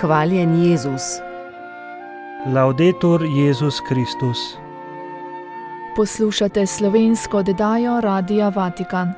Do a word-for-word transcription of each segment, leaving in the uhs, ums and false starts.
Hvaljen Jezus. Laudetur Jezus Kristus. Poslušate slovensko oddajo Radia Vatikan.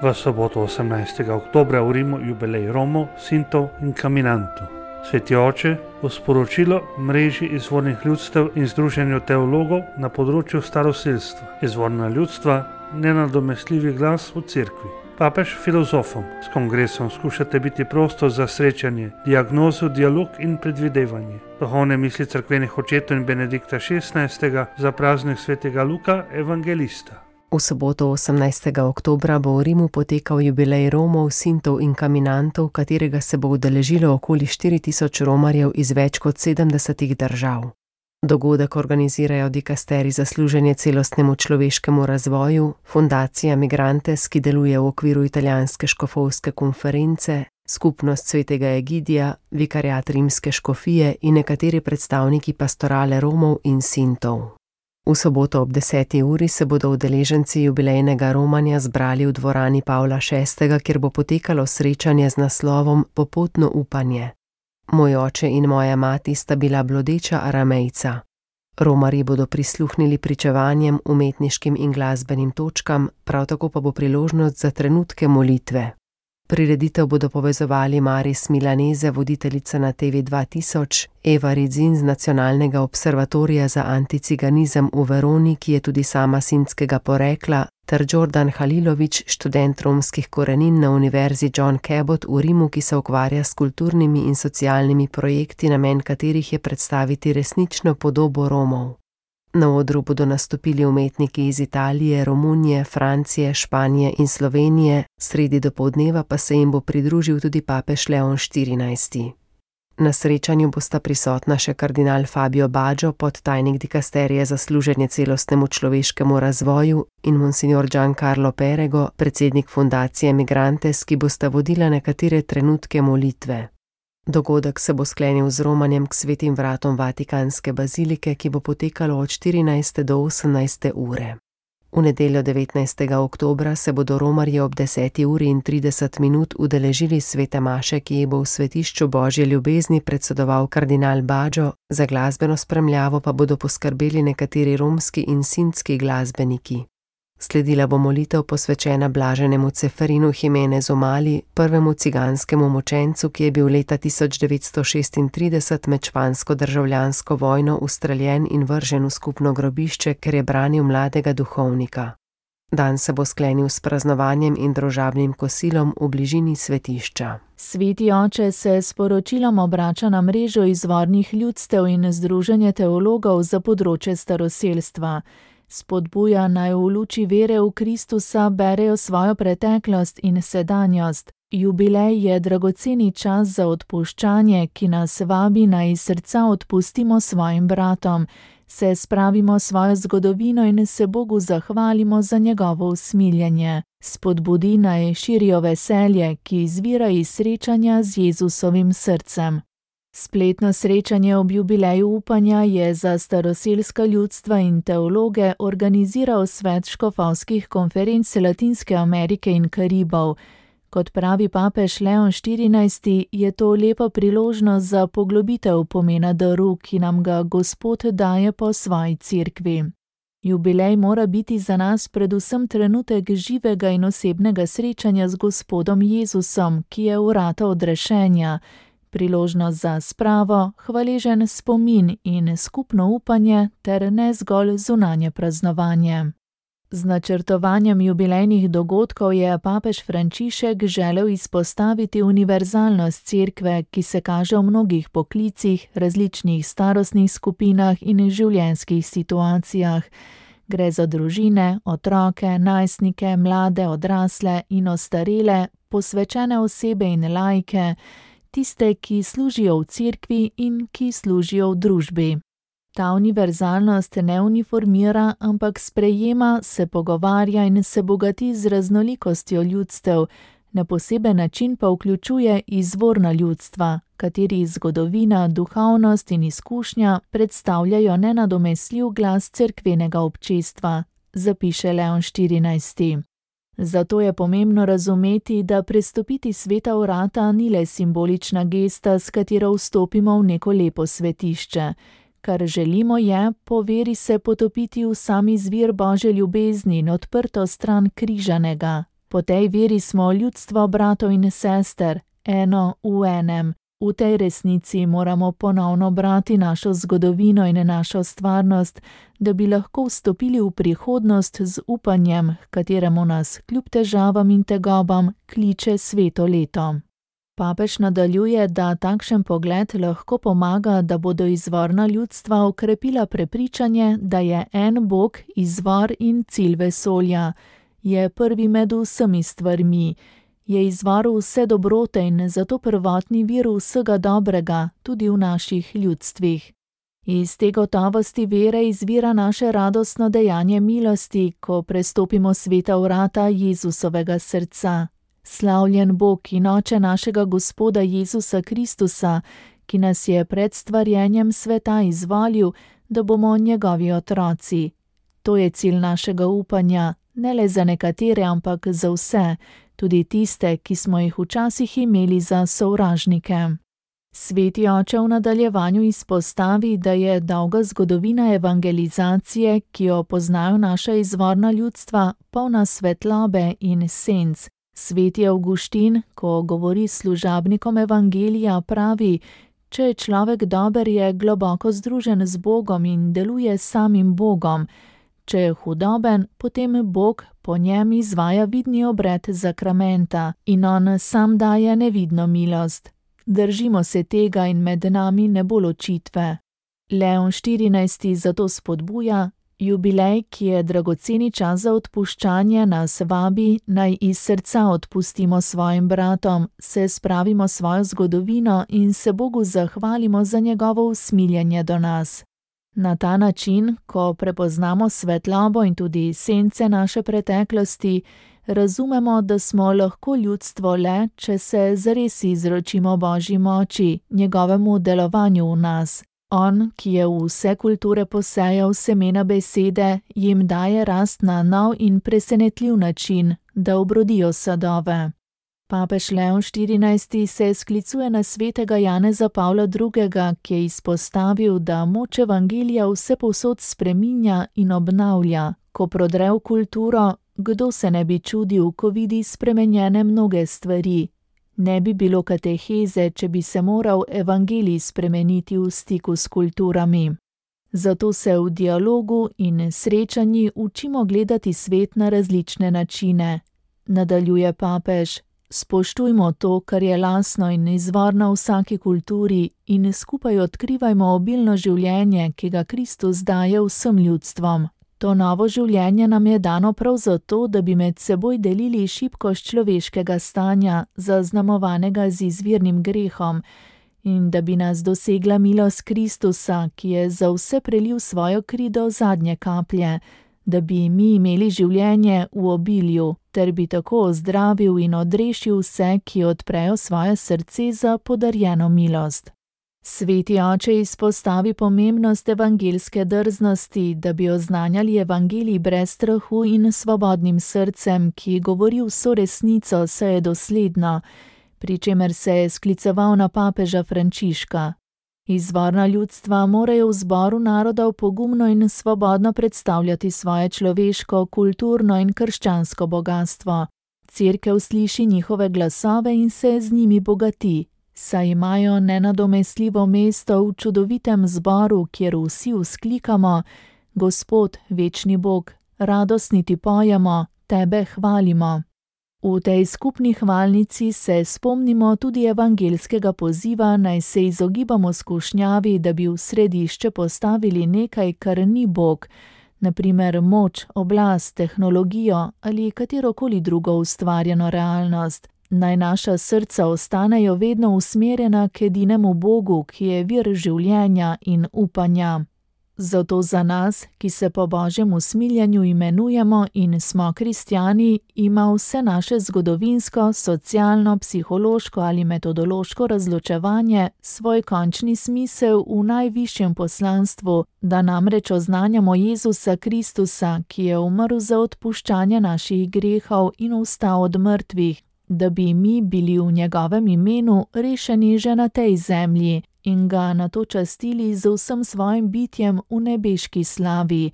V soboto osemnajstega oktobra v Rimu jubilej Romov, Sintov in Caminantov. Sveti oče v sporočilo mreži izvornih ljudstev in združenju teologov na področju staroselstva. Izvorna ljudstva, nenadomestljivi glas v cerkvi. Papež filozofom s kongresom skušate biti prostor za srečanje, diagnozo, dialog in predvidevanje. Duhovne misli cerkvenih očetov in Benedikta šestnajstega za praznik svetega Luka, evangelista. V soboto osemnajstega oktobra bo v Rimu potekal jubilej Romov, Sintov in Caminantov, katerega se bo udeležilo okoli štiri tisoč romarjev iz več kot sedemdesetih držav. Dogodek organizirajo dikasteri za služenje celostnemu človeškemu razvoju, fundacija Migrantes, ki deluje v okviru italijanske škofovske konference, skupnost svetega Egidija, vikariat rimske škofije in nekateri predstavniki pastorale Romov in Sintov. V soboto ob deseti uri se bodo udeleženci jubilejnega romanja zbrali v dvorani Pavla šestega, kjer bo potekalo srečanje z naslovom Popotno upanje. Moj oče in moja mati sta bila blodeča Aramejca. Romarji bodo prisluhnili pričevanjem, umetniškim in glasbenim točkam, prav tako pa bo priložnost za trenutke molitve. Prireditev bodo povezovali Maris Milanese, voditeljica na te ve dva tisoč, Eva Ridzin z Nacionalnega observatorija za anticiganizem v Veroni, ki je tudi sama sintskega porekla, ter Đorđan Halilović, študent romskih korenin na Univerzi John Cabot v Rimu, ki se ukvarja s kulturnimi in socialnimi projekti, namen katerih je predstaviti resnično podobo Romov. Na odru bodo nastopili umetniki iz Italije, Romunije, Francije, Španije in Slovenije, sredi dopoldneva pa se jim bo pridružil tudi papež Leon štirinajsti. Na srečanju bosta prisotna še kardinal Fabio Baggio, podtajnik dikasterije za služenje celostnemu človeškemu razvoju, in monsignor Giancarlo Perego, predsednik fundacije Migrantes, ki bosta vodila nekatere trenutke molitve. Dogodek se bo sklenil z romanjem k svetim vratom Vatikanske bazilike, ki bo potekalo od štirinajste do osemnajste ure. V nedeljo devetnajstega oktobra se bodo romarji ob deseti uri in trideset minut udeležili svete maše, ki ji bo v svetišču Božje ljubezni predsedoval kardinal Baggio, za glasbeno spremljavo pa bodo poskrbeli nekateri romski in sintski glasbeniki. Sledila bo molitev posvečena blaženemu Ceferinu Jimenezu Mali, prvemu ciganskemu mučencu, ki je bil leta tisoč devetsto šestintrideset med špansko državljansko vojno ustreljen in vržen v skupno grobišče, ker je branil mladega duhovnika. Dan se bo sklenil s praznovanjem in družabnim kosilom v bližini svetišča. Sveti oče se s poročilom obrača na mrežo izvornih ljudstev in združenje teologov za področje staroselstva. Spodbuja naj v luči vere v Kristusa berejo svojo preteklost in sedanjost. Jubilej je dragoceni čas za odpuščanje, ki nas vabi naj iz srca odpustimo svojim bratom, se spravimo svojo zgodovino in se Bogu zahvalimo za njegovo usmiljenje. Spodbudi naj širijo veselje, ki izvira iz srečanja z Jezusovim srcem. Spletno srečanje ob jubileju upanja je za staroselska ljudstva in teologe organiziral Svet škofovskih konferenc Latinske Amerike in Karibov. Kot pravi papež Leon štirinajsti, je to lepa priložnost za poglobitev pomena daru, ki nam ga Gospod daje po svoji cerkvi. Jubilej mora biti za nas predvsem trenutek živega in osebnega srečanja z Gospodom Jezusom, ki je vrata odrešenja, priložnost za spravo, hvaležen spomin in skupno upanje ter ne zgolj zunanje praznovanje. Z načrtovanjem jubilejnih dogodkov je papež Frančišek želel izpostaviti univerzalnost cerkve, ki se kaže v mnogih poklicih, različnih starostnih skupinah in življenjskih situacijah. Gre za družine, otroke, najstnike, mlade, odrasle in ostarele, posvečene osebe in laike, tiste, ki služijo v cerkvi in ki služijo v družbi. Ta univerzalnost ne uniformira, ampak sprejema, se pogovarja in se bogati z raznolikostjo ljudstev, na poseben način pa vključuje izvorna ljudstva, katerih zgodovina, duhovnost in izkušnja predstavljajo nenadomestljiv glas cerkvenega občestva, zapiše Leon štirinajsti. Zato je pomembno razumeti, da prestopiti sveta vrata ni le simbolična gesta, s katero vstopimo v neko lepo svetišče. Kar želimo je, po veri se potopiti v sami izvir Božje ljubezni in odprto stran križanega. Po tej veri smo ljudstvo bratov in sester, eno v enem. V tej resnici moramo ponovno brati našo zgodovino in našo stvarnost, da bi lahko vstopili v prihodnost z upanjem, kateremu nas kljub težavam in tegobam kliče sveto leto. Papež nadaljuje, da takšen pogled lahko pomaga, da bodo izvorna ljudstva okrepila prepričanje, da je en Bog izvor in cilj vesolja, je prvi med vsemi stvarmi, je izvor vse dobrote in zato prvotni vir vsega dobrega, tudi v naših ljudstvih. Iz te gotovosti vere izvira naše radostno dejanje milosti, ko prestopimo sveta vrata Jezusovega srca. Slavljen Bog in Oče našega Gospoda Jezusa Kristusa, ki nas je pred stvarjenjem sveta izvolil, da bomo njegovi otroci. To je cilj našega upanja, ne le za nekatere, ampak za vse, tudi tiste, ki smo jih včasih imeli za sovražnike. Sveti Oče v nadaljevanju izpostavi, da je dolga zgodovina evangelizacije, ki jo poznajo naša izvorna ljudstva, polna svetlobe in senc. Sveti Avguštin, ko govori s služabnikom evangelija, pravi: če je človek dober, je globoko združen z Bogom in deluje s samim Bogom. Če je hudoben, potem Bog po njem izvaja vidni obred zakramenta in on sam daje nevidno milost. Držimo se tega in med nami ne bo ločitve. Leon štirinajsti zato spodbuja: jubilej, ki je dragoceni čas za odpuščanje, nas vabi, naj iz srca odpustimo svojim bratom, se spravimo svojo zgodovino in se Bogu zahvalimo za njegovo usmiljenje do nas. Na ta način, ko prepoznamo svetlobo in tudi sence naše preteklosti, razumemo, da smo lahko ljudstvo le, če se zares izročimo Božji moči, njegovemu delovanju v nas. On, ki je v vse kulture posejal semena besede, jim daje rast na nov in presenetljiv način, da obrodijo sadove. Papež Leon štirinajsti se sklicuje na svetega Janeza Pavla drugega, ki je izpostavil, da moč evangelija vsepovsod spreminja in obnavlja. Ko prodre v kulturo, kdo se ne bi čudil, ko vidi spremenjene mnoge stvari? Ne bi bilo kateheze, če bi se moral evangelij spremeniti v stiku s kulturami. Zato se v dialogu in srečanji učimo gledati svet na različne načine. Nadaljuje papež: spoštujmo to, kar je lastno in izvorno vsaki kulturi, in skupaj odkrivajmo obilno življenje, ki ga Kristus daje vsem ljudstvom. To novo življenje nam je dano prav zato, da bi med seboj delili šibkost človeškega stanja, zaznamovanega z izvirnim grehom, in da bi nas dosegla milost Kristusa, ki je za vse prelil svojo kri do zadnje kaplje, da bi mi imeli življenje v obilju, ter bi tako ozdravil in odrešil vse, ki odprejo svoje srce za podarjeno milost. Sveti Oče izpostavi pomembnost evangelske drznosti, da bi oznanjali evangelij brez strahu in svobodnim srcem, ki govori vso resnico, saj je dosledno, pri čemer se je skliceval na papeža Frančiška. Izvorna ljudstva morajo v zboru narodov pogumno in svobodno predstavljati svoje človeško, kulturno in krščansko bogastvo. Cerkev sliši njihove glasove in se z njimi bogati, saj imajo nenadomestljivo mesto v čudovitem zboru, kjer vsi vzklikamo: Gospod, večni Bog, radostni ti pojemo, tebe hvalimo. V tej skupni hvalnici se spomnimo tudi evangelskega poziva, naj se izogibamo skušnjavi, da bi v središče postavili nekaj, kar ni Bog, na primer moč, oblast, tehnologijo ali katerokoli drugo ustvarjeno realnost. Naj naša srca ostanejo vedno usmerjena k edinemu Bogu, ki je vir življenja in upanja. Zato za nas, ki se po Božjem usmiljenju imenujemo in smo kristjani, ima vse naše zgodovinsko, socialno, psihološko ali metodološko razločevanje svoj končni smisel v najvišjem poslanstvu, da namreč oznanjamo Jezusa Kristusa, ki je umrl za odpuščanje naših grehov in vstal od mrtvih, da bi mi bili v njegovem imenu rešeni že na tej zemlji in ga nato častili z vsem svojim bitjem v nebeški slavi.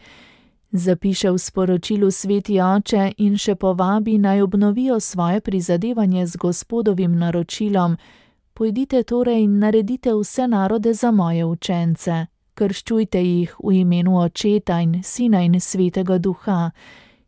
Zapiše v sporočilu Sveti Oče in še povabi, naj obnovijo svoje prizadevanje z Gospodovim naročilom: Pojdite torej in naredite vse narode za moje učence. Krščujte jih v imenu Očeta in Sina in Svetega Duha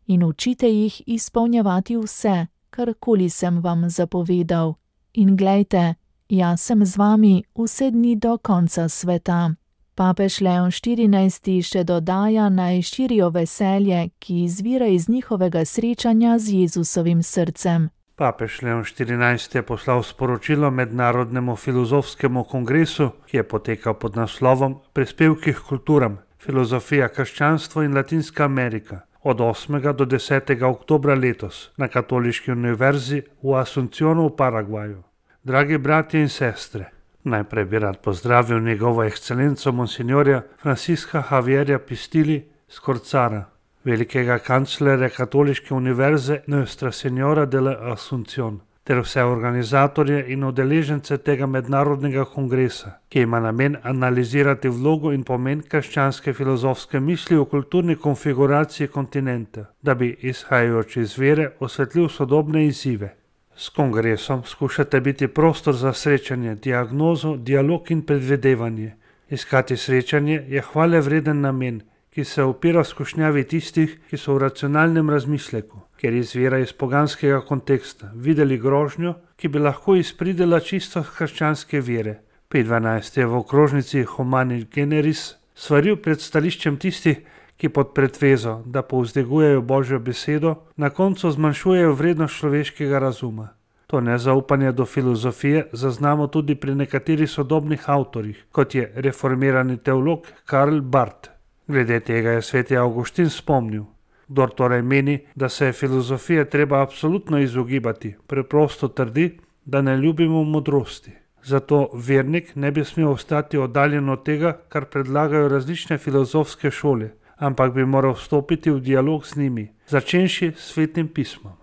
in učite jih izpolnjevati vse, karkoli sem vam zapovedal. In glejte, jaz sem z vami vse dni do konca sveta. Papež Leon štirinajsti še dodaja, naj širijo veselje, ki izvira iz njihovega srečanja z Jezusovim srcem. Papež Leon štirinajsti je poslal sporočilo Mednarodnemu filozofskemu kongresu, ki je potekal pod naslovom Prispevki k kulturam, filozofija, krščanstvo in Latinska Amerika od osmega do desetega oktobra letos na Katoliški univerzi v Asuncionu v Paragvaju. Dragi bratje in sestre, najprej bi rad pozdravil njegovo ekscelenco monsignorja Francisca Javierja Pistili Skorcara, velikega kanclerja Katoliške univerze Nuestra Señora de la Asunción, ter vse organizatorje in udeležence tega mednarodnega kongresa, ki ima namen analizirati vlogo in pomen krščanske filozofske misli v kulturni konfiguraciji kontinenta, da bi, izhajajoč iz vere, osvetlil sodobne izzive. S kongresom skušate biti prostor za srečanje, diagnozo, dialog in predvidevanje. Iskati srečanje je hvale vreden namen, ki se opira skušnjavi tistih, ki so v racionalnem razmisleku, ker izvira iz poganskega konteksta, videli grožnjo, ki bi lahko izpridela čisto krščanske vere. Pet dvanajst je v okrožnici Humani Generis svaril pred stališčem tistih, ki pod pretvezo, da povzdegujejo Božjo besedo, na koncu zmanjšujejo vrednost človeškega razuma. To nezaupanje do filozofije zaznamo tudi pri nekaterih sodobnih avtorjih, kot je reformirani teolog Karl Barth. Glede tega je sveti Avguštin spomnil: kdor torej meni, da se je filozofije treba absolutno izogibati, preprosto trdi, da ne ljubimo modrosti. Zato vernik ne bi smel ostati oddaljen od tega, kar predlagajo različne filozofske šole, ampak bi moral vstopiti v dialog z njimi, začenši s Svetim pismom.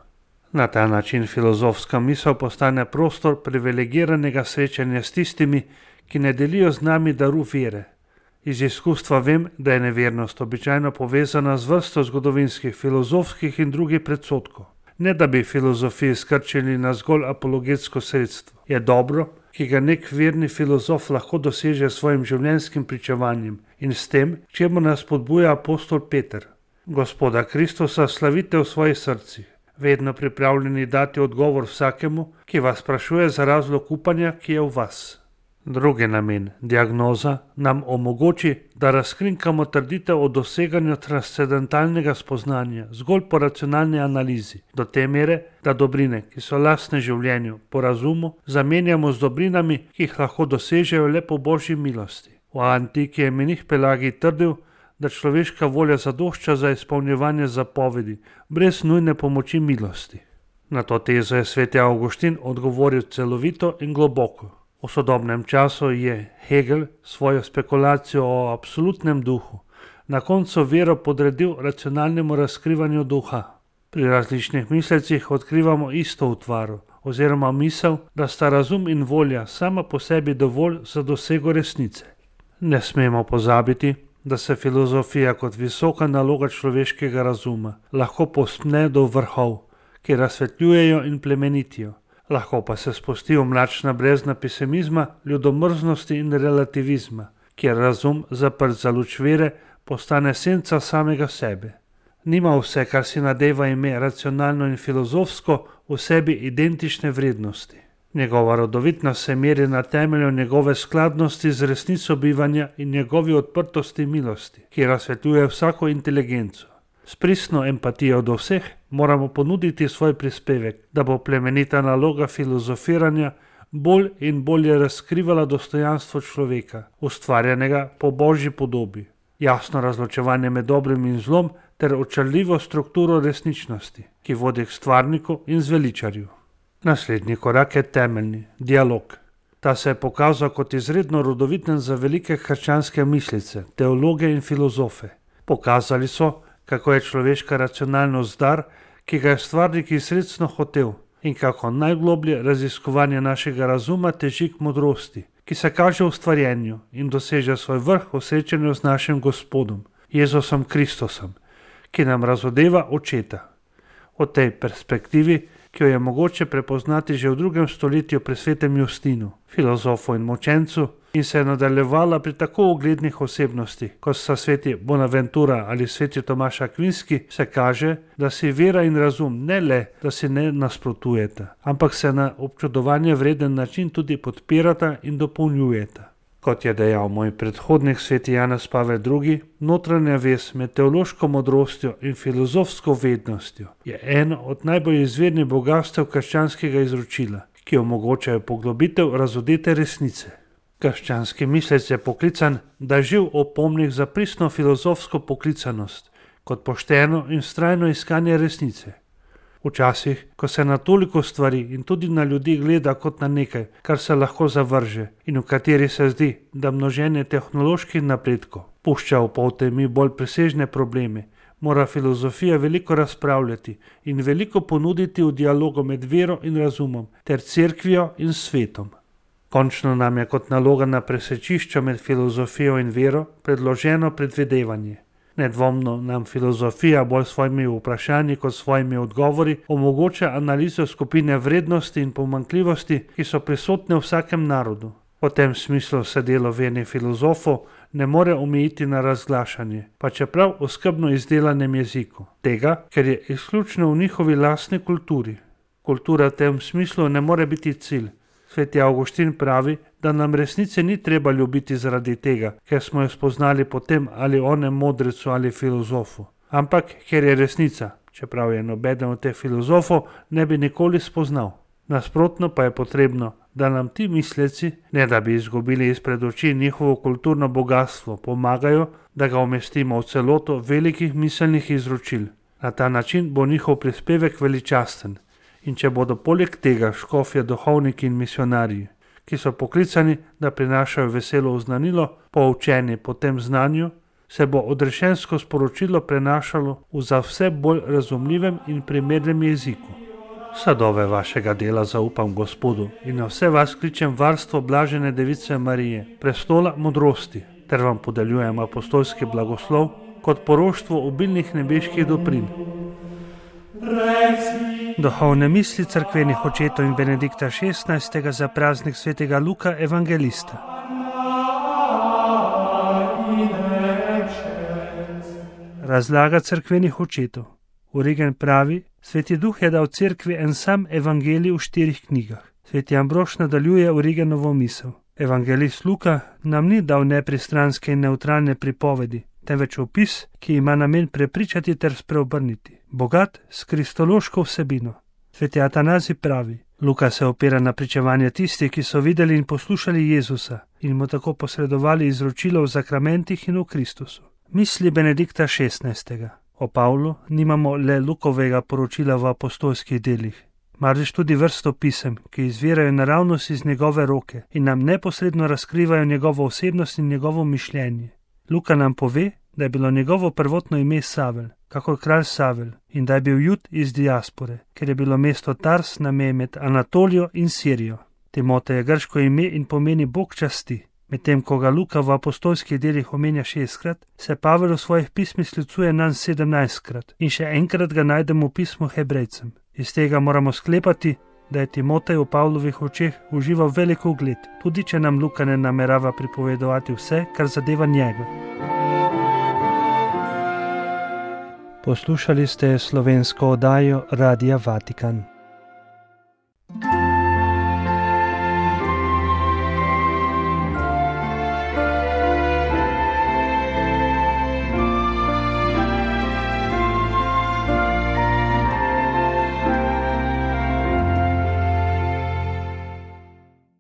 Na ta način filozofska misel postane prostor privilegiranega srečanja s tistimi, ki ne delijo z nami daru vere. Iz izkustva vem, da je nevernost običajno povezana z vrsto zgodovinskih, filozofskih in drugih predsodkov. Ne da bi filozofiji skrčili na zgolj apologetsko sredstvo. Je dobro, ki ga nek verni filozof lahko doseže s svojim življenjskim pričevanjem in s tem, k čemu nas spodbuja apostol Peter. Gospoda Kristusa slavite v svojih srcih, vedno pripravljeni dati odgovor vsakemu, ki vas sprašuje za razlog upanja, ki je v vas. Drugi namen, diagnoza, nam omogoči, da razkrinkamo trditev o doseganju transcendentalnega spoznanja zgolj po racionalni analizi, do te mere, da dobrine, ki so lastne življenju, po razumu, zamenjamo z dobrinami, ki jih lahko dosežejo le po Božji milosti. V antiki je menih Pelagij trdil, da človeška volja zadošča za izpolnjevanje zapovedi, brez nujne pomoči milosti. Na to tezo je sveti Avguštin odgovoril celovito in globoko. V sodobnem času je Hegel svojo spekulacijo o absolutnem duhu na koncu vero podredil racionalnemu razkrivanju duha. Pri različnih mislecih odkrivamo isto utvaro, oziroma misel, da sta razum in volja sama po sebi dovolj za dosego resnice. Ne smemo pozabiti, da se filozofija kot visoka naloga človeškega razuma lahko povzpne do vrhov, ki razsvetljujejo in plemenitijo. Lahko pa se spusti v mračna brezna pesimizma, ljudomrznosti in relativizma, kjer razum, zaprt za luč vere, postane senca samega sebe. Nima vse, kar si nadeva ime racionalno in filozofsko, v sebi identične vrednosti. Njegova rodovitnost se meri na temelju njegove skladnosti z resnico bivanja in njegovi odprtosti milosti, ki razsvetljuje vsako inteligenco. S pristno empatijo do vseh moramo ponuditi svoj prispevek, da bo plemenita naloga filozofiranja bolj in bolje razkrivala dostojanstvo človeka, ustvarjenega po Božji podobi. jasno razločevanje med dobrim in zlom ter očarljivo strukturo resničnosti, ki vodi k stvarniku in zveličarju. Naslednji korak je temeljni, dialog. Ta se je pokazal kot izredno rodoviten za velike krščanske mislice, teologe in filozofe. Pokazali so, kako je človeška racionalnost dar, ki ga je stvarnik izredno hotel, in kako najgloblje raziskovanje našega razuma teži k modrosti, ki se kaže v stvarjenju in doseže svoj vrh v srečanju z našim Gospodom, Jezusom Kristusom, ki nam razodeva očeta. O tej perspektivi, ki jo je mogoče prepoznati že v drugem stoletju pri svetem Justinu, filozofu in mučencu, in se je nadaljevala pri tako uglednih osebnostih, kot sta sveti Bonaventura ali sveti Tomaš Akvinski, se kaže, da si vera in razum ne le, da si ne nasprotujeta, ampak se na občudovanje vreden način tudi podpirata in dopolnjujeta. Kot je dejal moj predhodnik sveti Janez Pavel drugi, notranja vez med teološko modrostjo in filozofsko vednostjo je eno od najbolj izvirnih bogastev krščanskega izročila, ki omogočajo poglobitev razodete resnice. Krščanski mislec je poklican, da živ opomnik za pristno filozofsko poklicanost, kot pošteno in vztrajno iskanje resnice. Včasih, ko se na toliko stvari in tudi na ljudi gleda kot na nekaj, kar se lahko zavrže in v kateri se zdi, da množenje tehnoloških napredkov pušča v poltemi bolj presežne probleme, mora filozofija veliko razpravljati in veliko ponuditi v dialogu med vero in razumom ter cerkvijo in svetom. Končno nam je kot naloga na presečišču med filozofijo in vero predloženo predvidevanje. Nedvomno nam filozofija bolj svojimi vprašanji kot svojimi odgovori omogoča analizo skupine vrednosti in pomanjkljivosti, ki so prisotne v vsakem narodu. V tem smislu se delo vernih filozofov ne more omejiti na razglašanje, pa čeprav v skrbno izdelanem jeziku, tega, ker je izključno v njihovi lastni kulturi. Kultura v tem smislu ne more biti cilj. Sveti Avguštin pravi, da nam resnice ni treba ljubiti zaradi tega, ker smo jo spoznali po tem ali onem modrecu ali filozofu, ampak ker je resnica, čeprav je nobeden od teh filozofov ne bi nikoli spoznal. Nasprotno pa je potrebno, da nam ti misleci, ne da bi izgubili izpred oči njihovo kulturno bogatstvo, pomagajo, da ga umestimo v celoto velikih miselnih izročil. Na ta način bo njihov prispevek veličasten. In če bodo poleg tega škofje duhovniki in misionarji, ki so poklicani, da prinašajo veselo oznanilo, poučeni po tem znanju, se bo odrešensko sporočilo prenašalo v za vse bolj razumljivem in primernem jeziku. Sadove vašega dela zaupam Gospodu in na vse vas kličem varstvo blažene Device Marije, prestola modrosti, ter vam podeljujem apostolski blagoslov kot poroštvo obilnih nebeških dobrin. Duhovne misli cerkvenih očetov in Benedikta šestnajstega za praznik svetega Luka evangelista. Razlaga cerkvenih očetov. Origen pravi, Sveti Duh je dal cerkvi en sam evangelij v štirih knjigah. Sveti Ambrož nadaljuje Origenovo misel. Evangelist Luka nam ni dal nepristranske in nevtralne pripovedi, temveč opis, ki ima namen prepričati ter spreobrniti, bogat s kristološko vsebino. Sveti Atanazij pravi, Luka se opira na pričevanje tistih, ki so videli in poslušali Jezusa in mu tako posredovali izročilo v zakramentih in v Kristusu. Misli Benedikta šestnajstega. O Pavlu nimamo le Lukovega poročila v apostolskih delih, marveč tudi vrsto pisem, ki izvirajo naravnost iz njegove roke in nam neposredno razkrivajo njegovo osebnost in njegovo mišljenje. Luka nam pove, da je bilo njegovo prvotno ime Savel, kakor kralj Savel, in da je bil Jud iz diaspore, ker je bilo mesto Tars na meji med Anatolijo in Sirijo. Timotej je grško ime in pomeni Bog časti. Medtem ko ga Luka v apostolskih delih omenja šestkrat, se Pavel v svojih pismih sklicuje nanj sedemnajstkrat in še enkrat ga najdemo v pismu Hebrejcem. Iz tega moramo sklepati, da je Timotej v Pavlovih očeh užival veliko ugled, tudi če nam Luka ne namerava pripovedovati vse, kar zadeva njega. Poslušali ste slovensko oddajo Radia Vatikan.